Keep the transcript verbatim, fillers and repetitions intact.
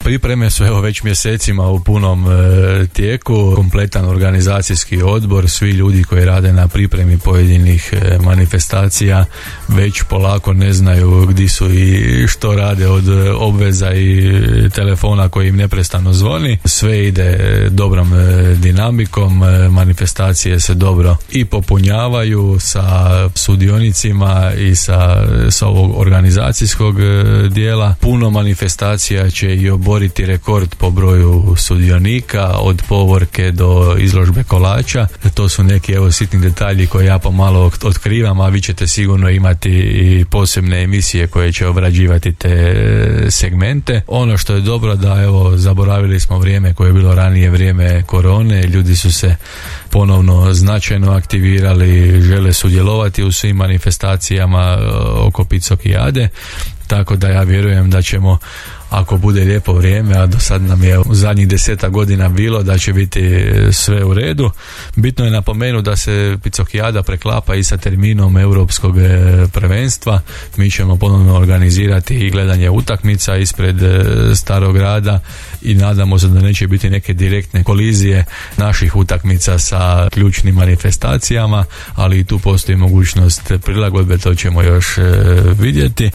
pripreme su evo već mjesecima u punom e, tijeku, kompletan organizacijski odbor, svi ljudi koji rade na pripremi pojedinih e, manifestacija već polako ne znaju gdje su i što rade od obveza i telefona koji im neprestano zvoni. Sve ide dobrom e, dinamikom, e, manifestacije se dobro i popunjavaju sa sudionicima i sa, sa ovog organizacijskog e, dijela. Puno manifestacija će i oboriti rekord po broju sudionika, od povorke do izložbe kolača. To su neki evo sitni detalji koje ja pomalo otkrivam, a vi ćete sigurno imati i posebne emisije koje će obrađivati te segmente. Ono što je dobro da evo zaboravili smo vrijeme koje je bilo ranije, vrijeme korone, ljudi su se ponovno značajno aktivirali, žele sudjelovati u svim manifestacijama oko Picokijade, tako da ja vjerujem da ćemo, ako bude lijepo vrijeme, a do sad nam je u zadnjih deseta godina bilo, da će biti sve u redu. Bitno je napomenuti da se Picokijada preklapa i sa terminom europskog prvenstva. Mi ćemo ponovno organizirati i gledanje utakmica ispred Starog grada i nadamo se da neće biti neke direktne kolizije naših utakmica sa ključnim manifestacijama, ali i tu postoji mogućnost prilagodbe, to ćemo još vidjeti.